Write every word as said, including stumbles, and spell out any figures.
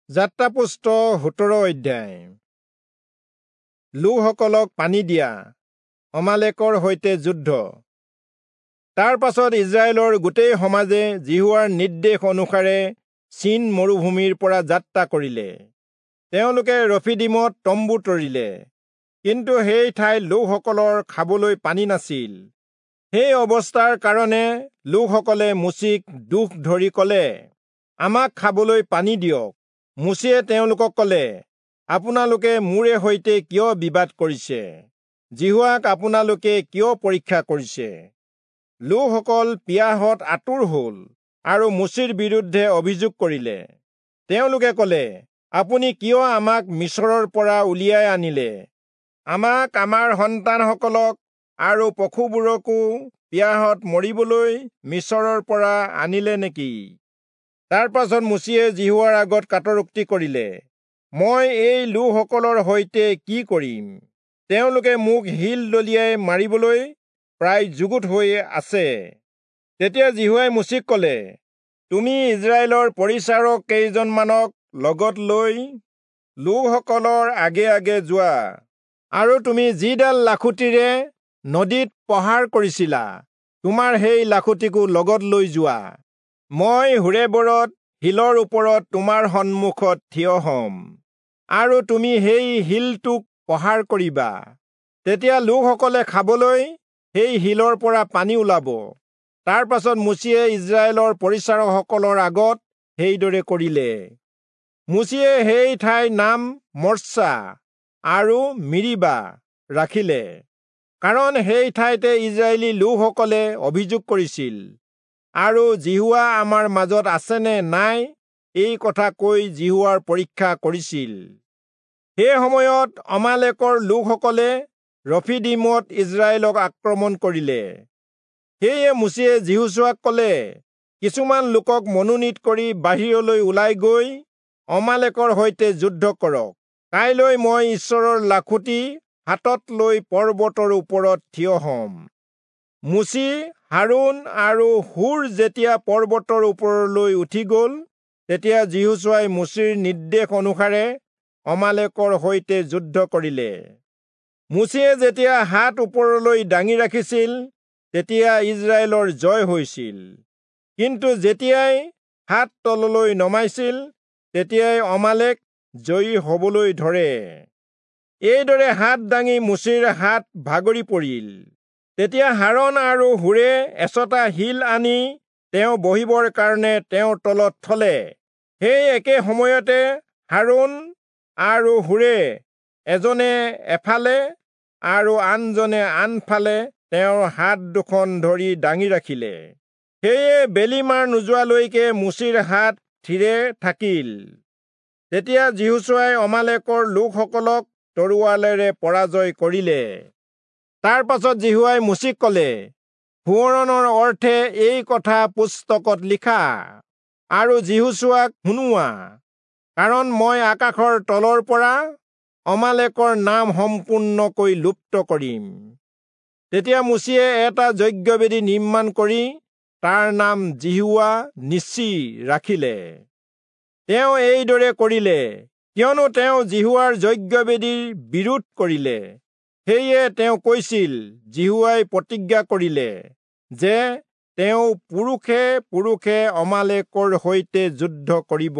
যাত্ৰাপুষ্ট সোতৰ অধ্যায়। লোকসকলক পানী দিয়া, অমালেকৰ সৈতে যুদ্ধ। তাৰ পাছত ইস্ৰায়েলৰ গোটেই সমাজে যিহোৱাৰ নিৰ্দেশ অনুসাৰে চীন মৰুভূমিৰ পৰা যাত্ৰা কৰিলে। তেওঁলোকে ৰফিদীমত তম্বু তৰিলে, কিন্তু সেই ঠাইত লোকসকলৰ খাবলৈ পানী নাছিল। সেই অৱস্থাৰ কাৰণে লোকসকলে মোচিক দোষ ধৰি কলে, আমাক খাবলৈ পানী দিয়ক। মোচিয়ে তেওঁলোকক কলে, আপোনালোকে মোৰে সৈতে কিয় বিবাদ কৰিছে? যিহোৱাক আপোনালোকে কিয় পৰীক্ষা কৰিছে? লোকসকল পিয়াহত আতুৰ হল আৰু মোচিৰ বিৰুদ্ধে অভিযোগ কৰিলে। তেওঁলোকে কলে, আপুনি কিয় আমাক মিচৰৰ পৰা উলিয়াই আনিলে? আমাক, আমাৰ সন্তানসকলক আৰু পশুবোৰকো পিয়াহত মৰিবলৈ মিচৰৰ পৰা আনিলে নেকি? তাৰ পাছত মোচিয়ে যিহোৱাৰ আগত কাতৰোক্তি কৰিলে, মই এই লোকসকলৰ সৈতে কি কৰিম? তেওঁলোকে মোক শিল দলিয়াই মাৰিবলৈ প্ৰায় যুগুত হৈ আছে। তেতিয়া যিহোৱাই মোচিক কলে, তুমি ইস্ৰায়েলৰ পৰিচাৰক কেইজনমানক লগত লৈ লোকসকলৰ আগে আগে যোৱা, আৰু তুমি যিডাল লাখুটিৰে নদীত প্ৰহাৰ কৰিছিলা, তোমাৰ সেই লাখুটিকো লগত লৈ যোৱা। মই হোৰেবৰত শিলৰ ওপৰত তোমাৰ সন্মুখত থিয় হম, আৰু তুমি সেই শিলটোক প্ৰহাৰ কৰিবা। তেতিয়া লোকসকলে খাবলৈ সেই শিলৰ পৰা পানী ওলাব। তাৰ পাছত মোচিয়ে ইস্ৰায়েলৰ পৰিচাৰকসকলৰ আগত সেইদৰে কৰিলে। মোচিয়ে সেই ঠাইৰ নাম মৰ্চা আৰু মিৰিবা ৰাখিলে, কাৰণ সেই ঠাইতে ইস্ৰায়েলী লোকসকলে অভিযোগ কৰিছিল আৰু যিহোৱা আমাৰ মাজত আছেনে নাই এই কথা কৈ যিহোৱাৰ পৰীক্ষা কৰিছিল। সেই সময়ত অমালেকৰ লোকসকলে ৰফিদীমত ইস্ৰায়েলক আক্ৰমণ কৰিলে। সেয়ে মোচিয়ে যিহোচূৱাক কলে, কিছুমান লোকক মনোনীত কৰি বাহিৰলৈ ওলাই গৈ অমালেকৰ সৈতে যুদ্ধ কৰক। কাইলৈ মই ঈশ্বৰৰ লাখুটি হাতত লৈ পৰ্বতৰ ওপৰত থিয় হম। মোচি, হাৰোণ আৰু হূৰ যেতিয়া পৰ্বতৰ ওপৰলৈ উঠি গল, তেতিয়া যিহোচূৱাই মোচিৰ নিৰ্দেশ অনুসাৰে অমালেকৰ সৈতে যুদ্ধ কৰিলে। মোচিয়ে যেতিয়া হাত ওপৰলৈ দাঙি ৰাখিছিল, তেতিয়া ইস্ৰায়েলৰ জয় হৈছিল, কিন্তু যেতিয়াই হাত তললৈ নমাইছিল, তেতিয়াই অমালেক জয়ী হবলৈ ধৰে। এইদৰে হাত দাঙি মোচিৰ হাত ভাগৰি পৰিল। তেতিয়া হাৰোণ আৰু হূৰে এচটা শিল আনি তেওঁ বহিবৰ কাৰণে তেওঁৰ তলত থলে। সেই একে সময়তে হাৰোণ আৰু হূৰে এজনে এফালে আৰু আনজনে আনফালে তেওঁৰ হাত দুখন ধৰি দাঙি ৰাখিলে। সেয়ে বেলি মাৰ নোযোৱালৈকে মোচিৰ হাত থিৰে থাকিল। তেতিয়া যিহোচূৱাই অমালেকৰ লোকসকলক তৰোৱালেৰে পৰাজয় কৰিলে। তাৰ পাছত যিহোৱাই মোচিক কলে, সোঁৱৰণৰ অৰ্থে এই কথা পুস্তকত লিখা আৰু যিহোচূৱাক শুনোৱা, কাৰণ মই আকাশৰ তলৰ পৰা অমালেকৰ নাম সম্পূৰ্ণকৈ লুপ্ত কৰিম। তেতিয়া মোচিয়ে এটা যজ্ঞবেদী নিৰ্মাণ কৰি তাৰ নাম যিহোৱা নিচি ৰাখিলে। তেওঁ এইদৰে কৰিলে, কিয়নো তেওঁ যিহোৱাৰ যজ্ঞবেদীৰ বিৰোধ কৰিলে। সেয়ে তেওঁ কৈছিল, যিহোৱাই প্ৰতিজ্ঞা কৰিলে যে তেওঁ পুৰুষে পুৰুষে অমালেকৰ সৈতে যুদ্ধ কৰিব।